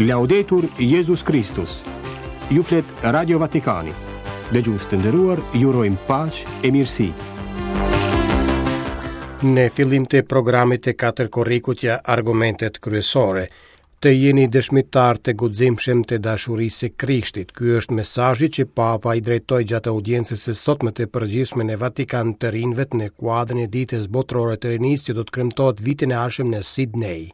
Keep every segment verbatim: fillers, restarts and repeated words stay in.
Laudetur Jezus Kristus. Ju flet Radio Vatikani. Dëgjues të nderuar, ju urojmë paqe e mirësi. Në fillim të programit të katër korrikut ja argumentet kryesore. Të jeni dëshmitar të guximshëm të dashurisë së Krishtit. Ky është mesazhi që Papa i drejtoi gjatë audiencës së sotme të përgjithshme në Vatikan të rinjve në kuadrin e Ditës Botërore të Rinisë që do të kremtohet vitin e ardhshëm në Sydney.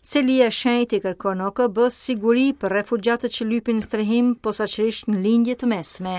Selia e Shenjtë i kërkon O K B siguri për refugjatët që lypin strehim posaçërisht në lindje të mesme.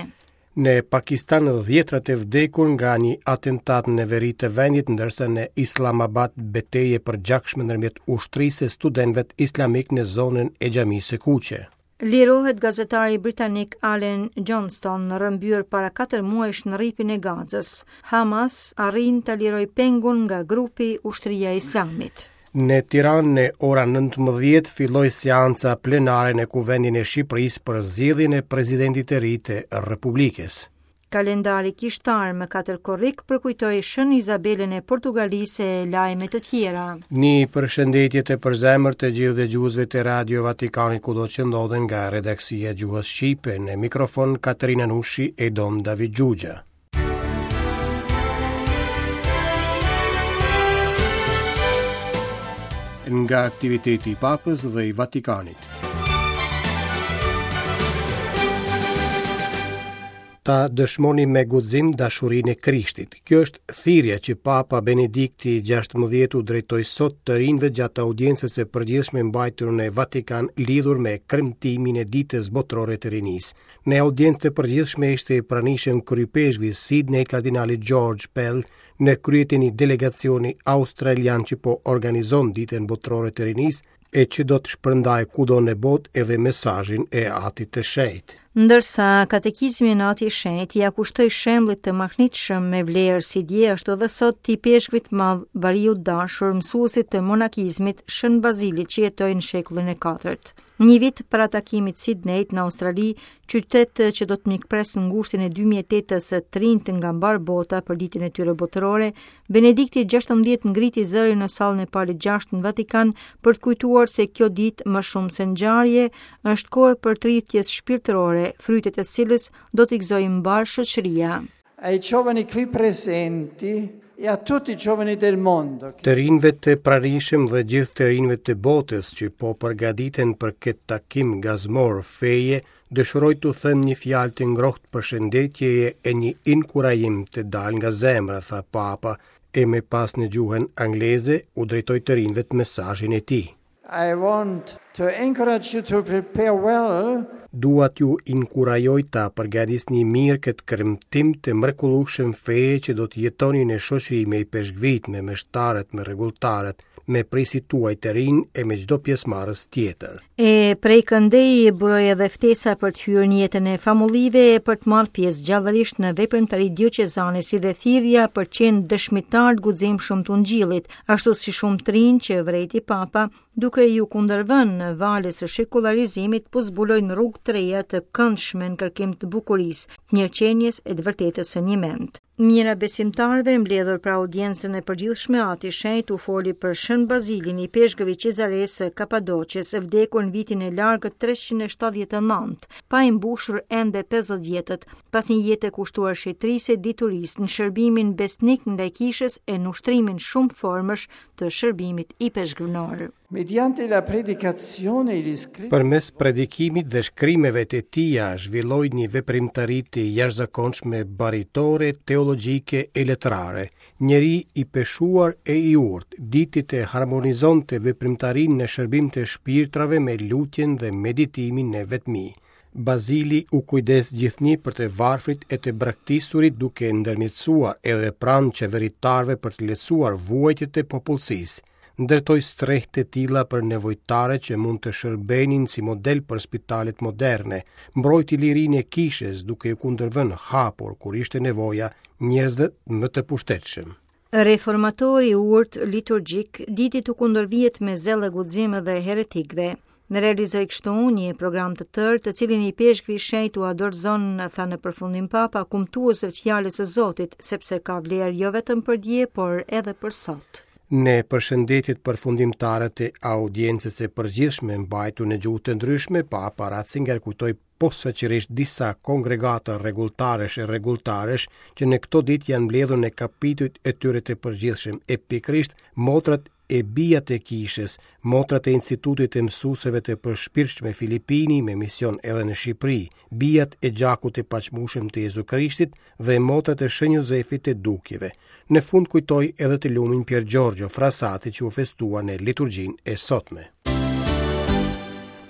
Në Pakistan dhjetrat e vdekur nga një atentat në veri të vendit, ndërsa në Islamabad betejë e përgjakshme ndërmjet ushtrisë e studentëve islamik në zonën e Xhamisë së Kuqe. Lirohet gazetari britanik Alan Johnston, rrëmbyer para katër muajsh në rripin e Gazës. Hamas arrin të liroj pengun nga grupi Ushtria e Islamit. Në Tiranë në ora nëntëmbëdhjetë filloi seanca plenare në Kuvendin e Shqipërisë për zgjedhjen e presidentit të ri të Republikës. Kalendari kishtar më katër korrik përkujtoi Shën Izabelën e Portugalisë e lajme të tjera. Një përshëndetje të përzemër të gjithë dëgjuesve të Radio Vatikanit kudo që ndodhen nga redaksia e gjuhës shqipe, në mikrofon Katerina Nushi e Dom David Gjugja. Nga aktiviteti i Papës dhe i Vatikanit. Ta dëshmoni me guxim dashurinë e Krishtit. Kjo është thirrja që Papa Benedikti gjashtëmbëdhjetë u drejtoi sot të rinjve gjatë audiencës së përgjithshme mbajtur në Vatikan lidhur me kremtimin e Ditës Botërore të Rinisë. Në audiencë të përgjithshme ishte i pranishëm kryepeshkvi Sydney kardinali George Pell në krye të një delegacioni australian që po organizon Ditën Botërore të Rinisë e që do të shpërndajë kudo në botë edhe mesazhin e Atit të Shenjtë. Ndërsa katekizmin e Atit të Shenjtë ja kushtoi shembullit të mahnitshëm me vlerë si dje ashtu edhe sot të ipeshkvit madh bariut dashur mësuesit të monakizmit Shën Bazilit që jetoi në shekullin e katërt. Një vit para takimit Sydneyt në Australi, qytet që do të mikpres në ngushtin e dy mijë e tetës së të rinjtë nga mbar bota për ditën e tyre botërore, Benedikti gjashtëmbëdhjetë ngriti zërin në sallën e Palit gjashtë në Vatikan për të kujtuar se kjo ditë më shumë se ngjarje është kohë për tritjes shpirtërore, frytet e cilës do t'i gëzojë mbar shoqëria. Ai giovani qui presenti e a tutti i giovani del mondo. Të rinjve të pranishëm dhe gjithë të rinjve të botës që po përgatiten për këtë takim gazmor feje, dëshiroj t'u them një fjalë të ngrohtë përshëndetjeje e një inkurajim të dalë nga zemra, tha Papa, e më pas në gjuhën angleze u drejtoi të rinjve të mesazhin e tij. I want to encourage you to prepare well. Dua t'ju inkurajoj ta përgatisni mirë këtë kremtim të mrekullueshëm feje që do të jetoni në shoqëri me ipeshkvit, me meshtarët, me rregulltarët, me prisit tuaj të rinj e me çdo pjesëmarrës tjetër. E prej këndej buroi edhe ftesa për të hyrë në jetën e famullive e për të marrë pjesë gjallërisht në veprimtari dioqezane, si dhe thirrja për të qenë dëshmitar të guximshëm të Ungjillit, ashtu si shumë të rinj që vrejti Papa, duke ju kundërvënë valës së shekullarizimit, po zbulojnë rrugë të reja të këndshme në kërkim të bukurisë, të mirëqenies e të vërtetës së njëmend. Mijëra besimtarëve mbledhur pra audiencën e përgjithshme, Ati i Shenjtë u foli për Shën Bazilin, i peshkëvi Cezares së Kapadoqës, vdekur në vitin e largët treqind e shtatëdhjetë e nëntë, pa i mbushur ende pesëdhjetë vjetët, pas një jete kushtuar shetërisë e diturisë në shërbimin besnik ndaj kishës e në ushtrimin shumë formësh të shërbimit i peshkvnor. Mediante la predicazione e gli scritti Përmes predikimit dhe shkrimeve të tija zhvilloi një veprimtari të jashtëzakonshme baritore, teologjike e letrare. Njeri i peshuar e i urtë, diti të harmonizonte veprimtarinë në shërbim të shpirtrave me lutjen dhe meditimin në vetmi. Bazili u kujdes gjithnjë për të varfrit e të braktisurit, duke ndërmjetësuar edhe pranë qeveritarëve për të lehtësuar vuajtjet e popullsisë. Ndërtoi strehë të tilla për nevojtare që mund të shërbenin si model për spitalet moderne, mbrojti lirinë e kishës duke u kundërvënë hapur kur ishte nevoja njerëzve më të pushtetshëm. Reformatori i urtë liturgjik diti të kundërvihet me zell e guxim edhe heretikëve. Në realizoi kështu një program të tërë, të cilin i peshkvi i shenjtë u adorzon, tha në përfundim Papa, kumtuesve të fjalës së Zotit, sepse ka vlerë jo vetëm për dje, por edhe për sot. Në përshëndetjet përfundimtare të audiencës së përgjithshme mbajtur në gjuhë të ndryshme, Papa Ratzinger kujtoi posaçërisht disa kongregata rregulltarësh e rregulltaresh që në këto ditë janë mbledhur në kapitujt e tyre të përgjithshëm, e pikërisht motrat e bijat e kishës, motrat e Institutit të Mësuesve të Përshpirtshme Filipini me mision edhe në Shqipëri, bijat e gjakut të paçmueshëm të Jezu Krishtit dhe motrat e Shën Jozefit të Dukjeve. Në fund kujtoi edhe të lumin Pier Giorgio Frassati që u festua në liturgjinë e sotme.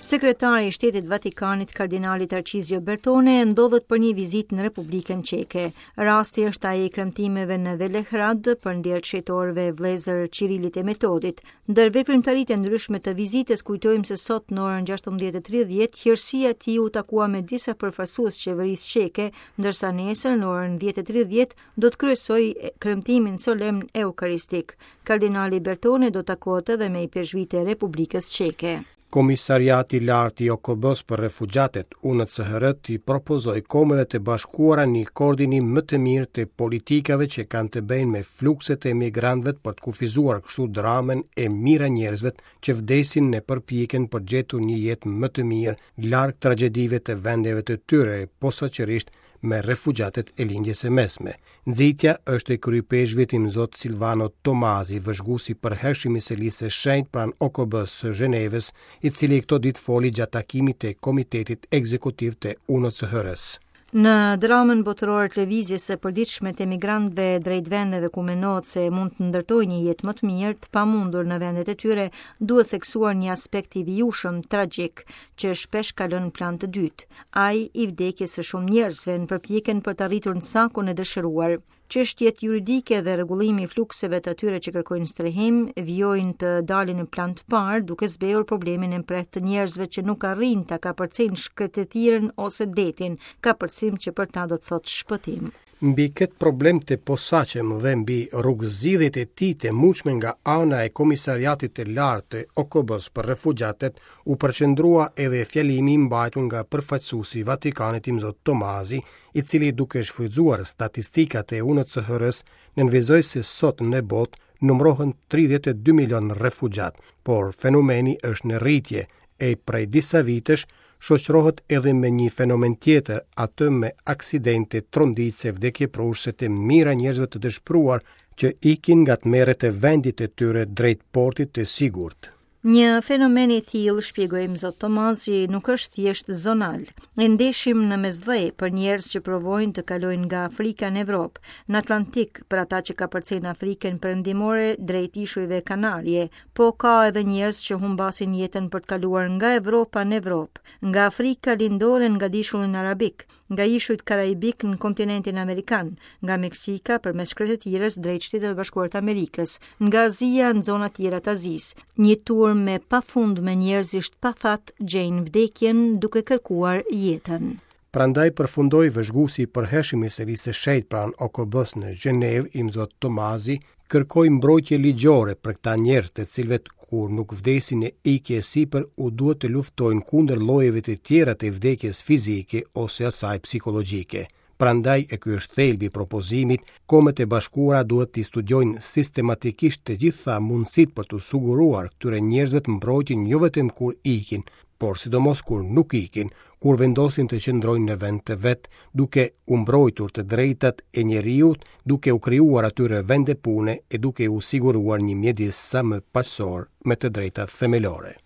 Sekretari i Shtetit Vatikanit, Kardinali Tarcizio Bertone, ndodhet për një vizitë në Republikën Çeke. Rasti është ai i kremtimeve në Velehrad për nder të shenjtorëve vëllezër Çirilit e Metodit. Ndër veprimtaritë e ndryshme të vizitës kujtojmë se sot në orën gjashtëmbëdhjetë e tridhjetë hirësia e tij u takua me disa përfaqësues qeverisë çeke, ndërsa nesër në orën dhjetë e tridhjetë do të kryesojë kremtimin solemn eukaristik. Kardinali Bertone do takohet edhe me ipeshkvit e Republikës Çeke. Komisariati i Lartë i O K B-s për refugjatët, U N C H R, i propozoi Kombeve të Bashkuara një koordinim më të mirë të politikave që kanë të bëjnë me flukset e emigrantëve për të kufizuar kështu dramën e mijëra njerëzve që vdesin në përpjekjen për gjetur një jetë më të mirë larg tragjedive të vendeve të tyre, posaçërisht me refugjatët e lindjes së mesme. Nxitja është e kryepeshkvit Imzot Silvano Tomasi, vëzhguesi përhershëm i selisë së shenjtë pranë O K B-së së Gjenevës, i cili këto ditë foli gjatë takimit të Komitetit Ekzekutiv të U N C H R-s. Në dramën botërore të lëvizjes së përditshme të emigrantëve drejt vendeve ku mendohet se mund të ndërtojnë një jetë më të mirë, të pamundur në vendet e tyre, duhet theksuar një aspekt i vijueshëm tragjik që shpesh kalon në plan të dytë, ai i vdekjes së shumë njerëzve në përpjekjen për të arritur në sakun e dëshiruar. Çështjet juridike dhe rregullimi i flukseve të atyre që kërkojnë strehim vijojnë të dalin në plan të parë, duke zbehur problemin e mprehtë të njerëzve që nuk arrijnë ta kapërcejnë shkretëtirën ose detin, kapërcim që për ta do të thotë shpëtim. Mbi këtë problem të posaçëm dhe mbi rrugëzgjidhjet e tij të mundshme nga ana e Komisariatit të Lartë të O K B-s për refugjatët u përqendrua edhe fjalimi i mbajtur nga përfaqësuesi i Vatikanit Imzot Tomasi, i cili duke shfrytzuar statistikat e U N C H R-s nënvizoi se sot në botë numërohen tridhjetë e dy milion refugjat, por fenomeni është në rritje e prej disa vitesh shoqërohet edhe me një fenomen tjetër, atë me aksidente tronditëse vdekjeprurëse të mijëra njerëzve të dëshpëruar që ikin nga tmerret e vendit të tyre drejt portit të sigurt. Një fenomen i tillë, shpjegoi Imzot Tomasi, nuk është thjesht zonal. E ndeshim në Mesdhe për njerëz që provojnë të kalojnë nga Afrika në Evropë, në Atlantik për ata që kapërcejnë Afrikën Perëndimore drejt ishujve Kanarie, po ka edhe njerëz që humbasin jetën për të kaluar nga Evropa në Evropë, nga Afrika Lindore në Gadishullin Arabik, nga ishujt Karaibik në kontinentin Amerikan, nga Meksika përmes shkretëtirës drejt Shteteve të Bashkuara të Amerikës, nga Azia në zona tjera të Azisë. Një tur me pafund me njerëzisht pa fat gjejnë vdekjen duke kërkuar jetën. Prandaj përfundoi vëzhguesi i përhershëm i serisë së shenjtë pranë O K B-s në Gjenevë, Imzot Tomasi, kërkoi mbrojtje ligjore për këta njerëz të cilëve kur nuk vdesin në ikje sipër u duhet të luftojnë kundër llojeve të tjera të vdekjes fizike ose asaj psikologjike. Prandaj e ky është thelbi i propozimit, Kombet e Bashkuara duhet t'i studiojnë sistematikisht të gjitha mundësitë për t'u siguruar këtyre njerëzve të mbrojtjen jo vetëm kur ikin, por sidomos kur nuk ikin, kur vendosin të qëndrojnë në vend të vet, duke u mbrojtur të drejtat e njeriut, duke u krijuar atyre vende pune e duke u siguruar një mjedis sa më paqësor me të drejtat themelore.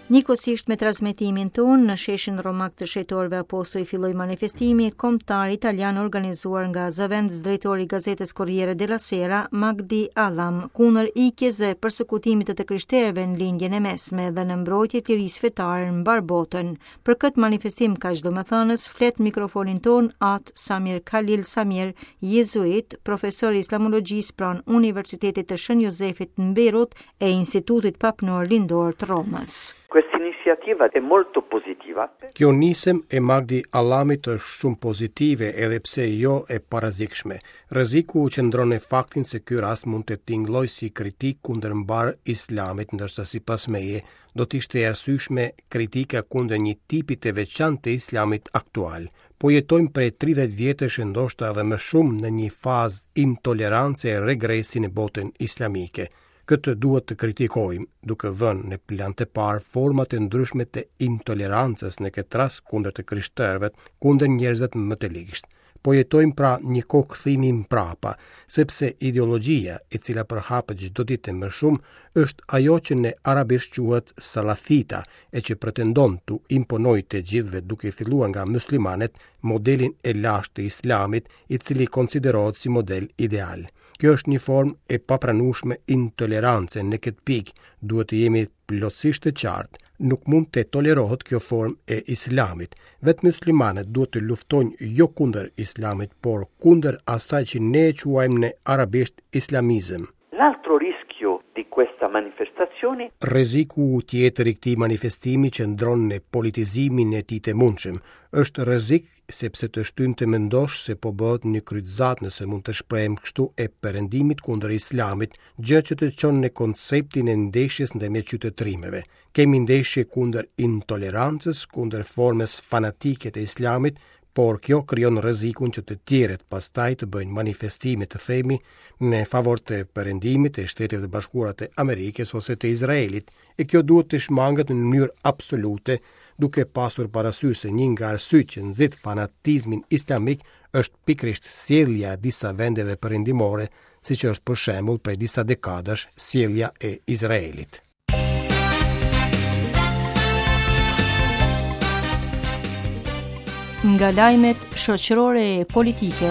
Njëkohësisht me transmetimin ton në sheshin romak të Shenjtorëve Apostoj filloi manifestimi kombëtar italian organizuar nga zëvendës drejtori i gazetës Corriere della Sera, Magdi Allam, kundër ikjes dhe persekutimit të të krishterëve në lindjen e mesme dhe në mbrojtje të lirisë fetare në mbar botën. Për këtë manifestim kaq domethënës flet mikrofonin ton At Samir Khalil Samir, jezuit, profesor i islamologjisë pranë Universitetit të Shën Jozefit në Beirut e Institutit Papnor Lindor të Romës. Questa iniziativa è molto positiva. Kjo nisëm e Magdi Allamit është shumë pozitive edhe pse jo e parrezikshme. Rreziku qëndron në faktin se ky rast mund të tingëllojë si kritikë kundër mbarë islamit, ndërsa sipas meje do të ishte e arsyeshme kritika kundër një tipi të veçantë të islamit aktual. Po jetojmë prej tridhjetë vjetësh e ndoshta edhe më shumë në një fazë intolerance e regresi në botën islamike. Këtë duhet të kritikojmë, duke vënë në plan të parë format e ndryshme të intolerancës në këtë rast kundër të krishterëve, kundër njerëzve më të ligjtë. Po jetojmë pra një kohë kthimi mbrapa, sepse ideologjia e cila përhapet çdo ditë më shumë është ajo që në arabisht quhet salafita, e që pretendon t'u imponojë të gjithëve duke filluar nga muslimanët modelin e lashtë të islamit, i cili konsiderohet si model ideal. Kjo është një formë e papranueshme intolerance në këtë pikë, duhet të jemi plotësisht të qartë. Nuk mund të tolerohet kjo formë e islamit. Vetë muslimanët duhet të luftojnë jo kundër islamit, por kundër asaj që ne e quajmë në arabisht islamizëm. L'altro rischio di questa manifestazione Rreziku tjetër i këtij manifestimi qëndron në politizimin e tij të mundshëm. Është rrezik sepse të shtyn të mendosh se po bëhet një kryqëzat, nëse mund të shprehem kështu, e perëndimit kundër islamit, gjë që të çon në konceptin e ndeshjes ndërmjet qytetërimeve. Kemi ndeshje kundër intolerancës, kundër formës fanatike të islamit, por kjo krijon rrezikun që të tjerët pastaj të bëjnë manifestime, të themi, në favor të perëndimit, të Shteteve të Bashkuara të Amerikës ose të Izraelit, e kjo duhet të shmanget në mënyrë absolute, duke pasur parasysh se një nga arsyet që nxit fanatizmin islamik është pikërisht sjellja e disa vendeve perëndimore, siç është për shembull prej disa dekadash sjellja e Izraelit. Nga lajmet shoqërore e politike.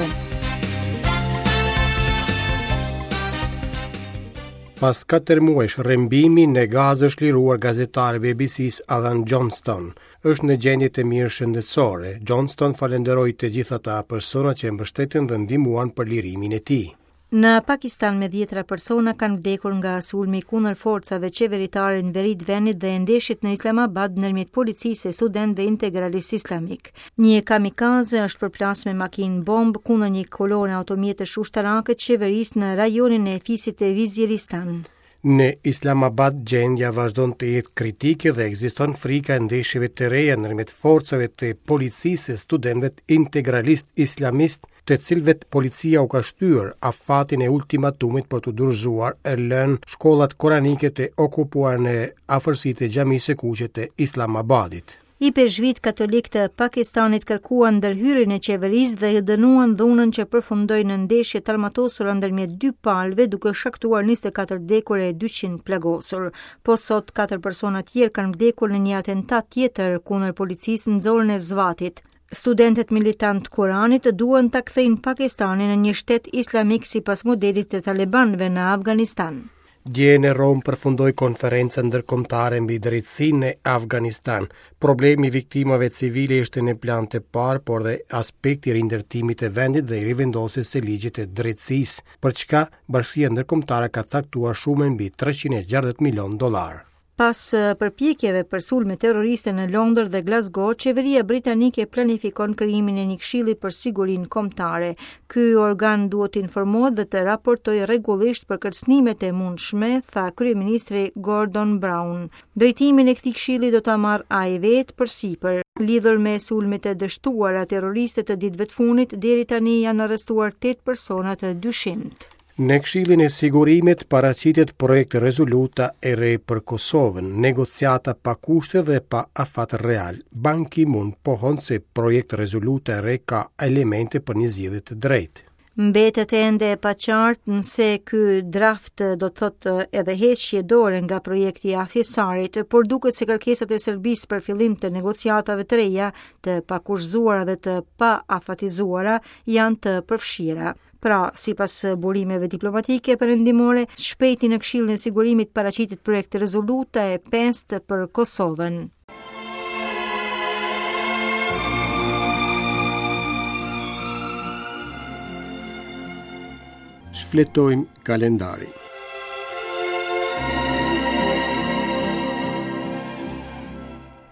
Pas katër muajsh rrëmbimi në Gazë është liruar gazetari B B C-s Alan Johnston. Është në gjendje të mirë shëndetësore. Johnston falenderoi të gjithë ata persona që e mbështetën dhe ndihmuan për lirimin e tij. Në Pakistan me dhjetra persona kanë vdekur nga sulmi kundër forcave qeveritare në veri të vendit dhe ndeshjet në Islamabad ndërmjet policisë e studentëve integralistë islamik. Një kamikaze është përplasur me makinë bombë kundër një kolone automjetesh ushtarake të qeverisë në rajonin e Fisit të Viziristan. Në Islamabad gjendja vazhdon të jetë kritike dhe ekziston frika e ndeshjeve të reja ndërmjet forcave të policisë e studentëve integralistë islamist, të cilëve policia u ka shtyrë afatin e ultimatumit për të dorëzuar e lënë shkollat koranike të okupuara në afërsi të xhamisë së kuqe të Islamabadit. Ipeshvit katolik të Pakistanit kërkuan ndërhyrjen e qeverisë dhe dënuan dhunën që përfundoi në ndeshje të armatosura ndërmjet dy palëve, duke shkaktuar njëzet e katër vdekur e dyqind plagosur. Po sot katër persona tjerë kanë vdekur në një atentat tjetër kundër policisë në zonën e Svatit. Studentët militant të Kuranit duan ta kthejnë Pakistanin në një shtet islamik sipas modelit të talibanëve në Afganistan. Dje në Romë përfundoi konferenca ndërkombëtare mbi drejtësinë në Afganistan. Problemi i viktimave civile ishte në plan të parë, por dhe aspekti i rindërtimit të vendit dhe i rivendosjes së ligjit të drejtësisë, për çka bashkësia ndërkombëtare ka caktuar shumën mbi treqind e gjashtëdhjetë milion dollar. Pas përpjekjeve për sulme terroriste në Londër dhe Glasgow, qeveria britanike planifikon krijimin e një këshilli për sigurinë kombëtare. Ky organ duhet të informohet dhe të raportojë rregullisht për kërcënimet e mundshme, tha kryeministri Gordon Brown. Drejtimin e këtij këshilli do ta marrë ai vetë përsipër. Lidhur me sulmet e dështuara terroriste të ditëve të fundit, deri tani janë arrestuar tetë persona të dyshimtë. Në Këshillin e Sigurimit paraqitet projekt rezoluta e re për Kosovën, negociata pa kushte dhe pa afat real. Ban Ki-moon pohon se projekt rezoluta e re ka elemente për një zgjidhje të drejtë. Mbetet ende e paqartë nëse ky draft do të thotë edhe heqje dore nga projekti i Ahtisarit, por duket se kërkesat e Serbisë për fillim të negociatave të reja, të pakushtëzuara dhe të paafatizuara, janë të përfshira. Pra, sipas burimeve diplomatike perëndimore, shpejti në Këshillin e Sigurimit paraqitet projekt rezoluta e pestë për Kosovën. Shfletojmë kalendarin.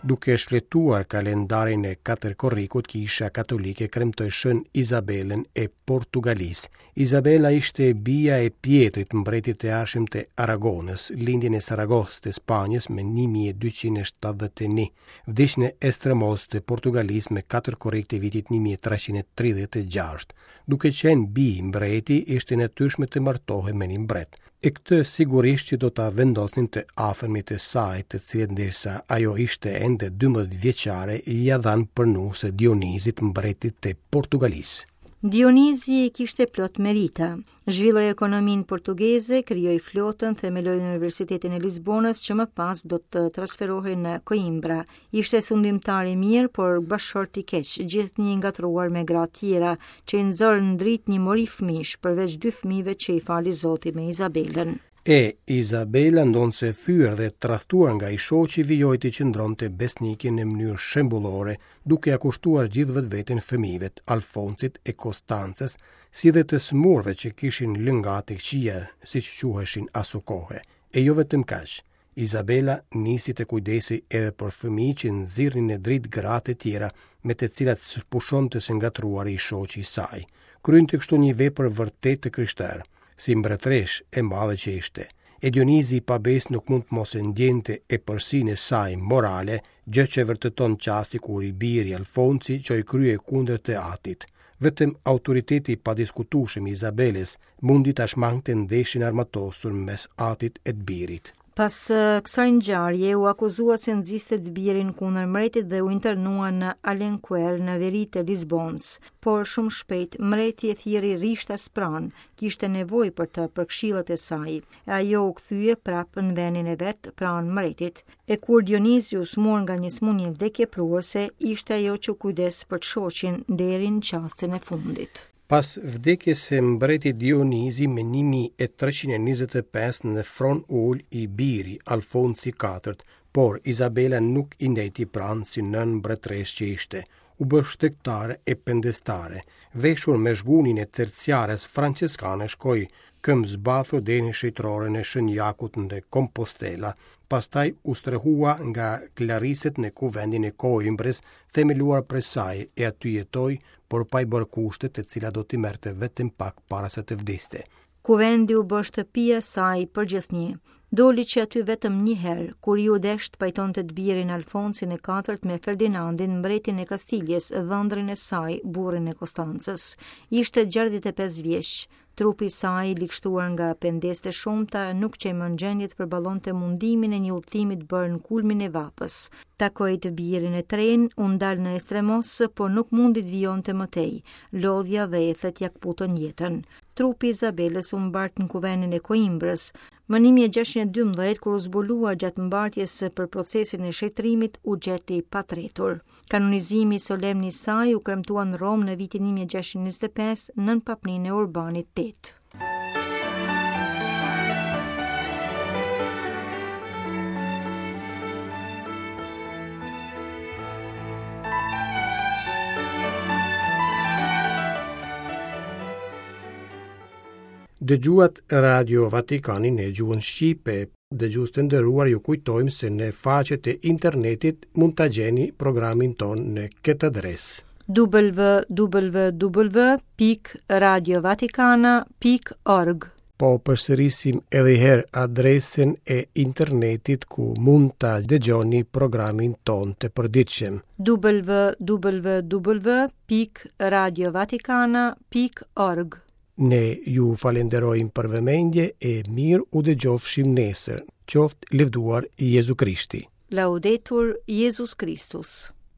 Duke shfletuar kalendarin e katër korrikut, Kisha Katolike kremtoi Shën Izabelën e Portugalisë. Izabela ishte bija e Pietrit, mbretit të ardhshëm të Aragonës, lindi në Saragossë të Spanjës me një mijë e dyqind e shtatëdhjetë e një. Vdiq në Estremoz të Portugalisë me katër korrik të vitit një mijë e treqind e tridhjetë e gjashtë. Duke qenë bij mbreti, ishte natyrshme të martohej me një mbret. E këtë sigurisht që do ta vendosnin të afërmit e saj, të cilët ndërsa ajo ishte ende dymbëdhjetë vjeçare, ia dhanë për nuse Dionizit, mbretit të Portugalisë. Dionizi kishte plot merita. Zhvilloi ekonominë portugeze, krijoi flotën, themeloi Universitetin e Lisbonës, që më pas do të transferohej në Coimbra. Ishte sundimtar i mirë, por bashkëshort i keq, gjithnjë i ngatruar me gra tjera, që i nxorën në dritë një mori fëmish, përveç dy fëmijëve që i fali Zoti me Izabelën. E Izabela, ndonëse fyer dhe tradhtuar nga i shoqi, vijoi të qëndronte besnike në mënyrë shembullore, duke ia kushtuar gjithë vetveten fëmijëve, Alfonsit e Konstancës, si dhe të smurve që kishin lëngatë të këqija, siç quheshin aso kohe. E jo vetëm kaq, Izabela nisi të kujdesej edhe për fëmijë që nxirrnin në dritë gratë e tjera, me të cilat s'pushonte së ngatruari i shoqi i saj. Kryente kështu një vepër vërtet të krishterë, si mbretëresh e madhe që ishte. E Dionizi i pabes nuk mund të mos e ndjente epërsinë e saj morale, gjë që vërteton çasti kur i biri Alfonsi çoi krye kundër të atit. Vetëm autoriteti i padiskutueshëm i Izabelës mundi ta shmangte ndeshjen armatosur mes atit e të birit. Pas kësaj ngjarje u akuzua se nxiste të birin kundër mbretit dhe u internua në Alenquer në veri të Lisbonës. Por shumë shpejt mbreti e thirri rishtas pranë, kishte nevojë për të për këshillat e saj. E ajo u kthye prapë në vendin e vet pranë mbretit. E kur Dionizi u smur nga një sëmundje vdekjeprurëse, ishte ajo që u kujdes për të shoqin deri në çastin e fundit. Pas vdekjes së mbretit Dionizi me një mijë e treqind e njëzet e pesë në fron ul i biri Alfonsi i katërt, por Izabela nuk i ndejti pranë si nën mbretëresh që ishte. U bë shtegtare e pendestare, veshur me zhgunin e terciares franceskane shkoi këmbë zbathur deri në shëtroren e Shën Jakut në Compostela, pastaj u strehua nga klariset në kuvendin e Coimbrës, themeluar prej saj, e aty jetoi, por pa i bërë kushte të cilat do t'i merrte vetëm pak para se të vdiste. Kuvendi u bë shtëpia e saj për gjithnjë. Doli që aty vetëm një herë, kur iu desh të pajtonte të birin Alfonsin e katërt me Ferdinandin, mbretin e Kastiljes, dhëndrin e saj, burrin e Konstancës. Ishte gjashtëdhjetë e pesë vjeç. Trupi i saj, i ligshtuar nga pendesët e shumta, nuk qe më në gjendje të përballonte mundimin e një udhëtimi të bërë në kulmin e vapës. Takoi të birin e tren, u ndal në Estremos, por nuk mundi të vijonte më tej. Lodhja dhe ethet ja kputën jetën. Trupi i Izabelës u mbart në kuvendin e Coimbrës. Më një mijë e gjashtëqind e dymbëdhjetë, kur u zbulua gjatë mbartjes për procesin e shetrimit, u gjeti patretur. Kanonizimi solemn i saj u kremtua në Romë në vitin një mijë e gjashtëqind e njëzet e pesë nën papninë e Urbanit tetë. Dëgjuat Radio Vatikanin në gjuhën shqipe. Dëgjues të nderuar, ju kujtojmë se në faqet e internetit mund ta gjeni programin ton në këtë adresë: w w w pikë radio vatikana pikë org. Po përsërisim edhe një herë adresën e internetit ku mund ta dëgjoni programin ton të përditshëm: w w w pikë radio vatikana pikë org. Ne ju falenderojmë për vëmendje e mirë u dëgjofshim nesër. Qoftë lëvduar Jezu Krishti. Laudetur Jezus Kristus.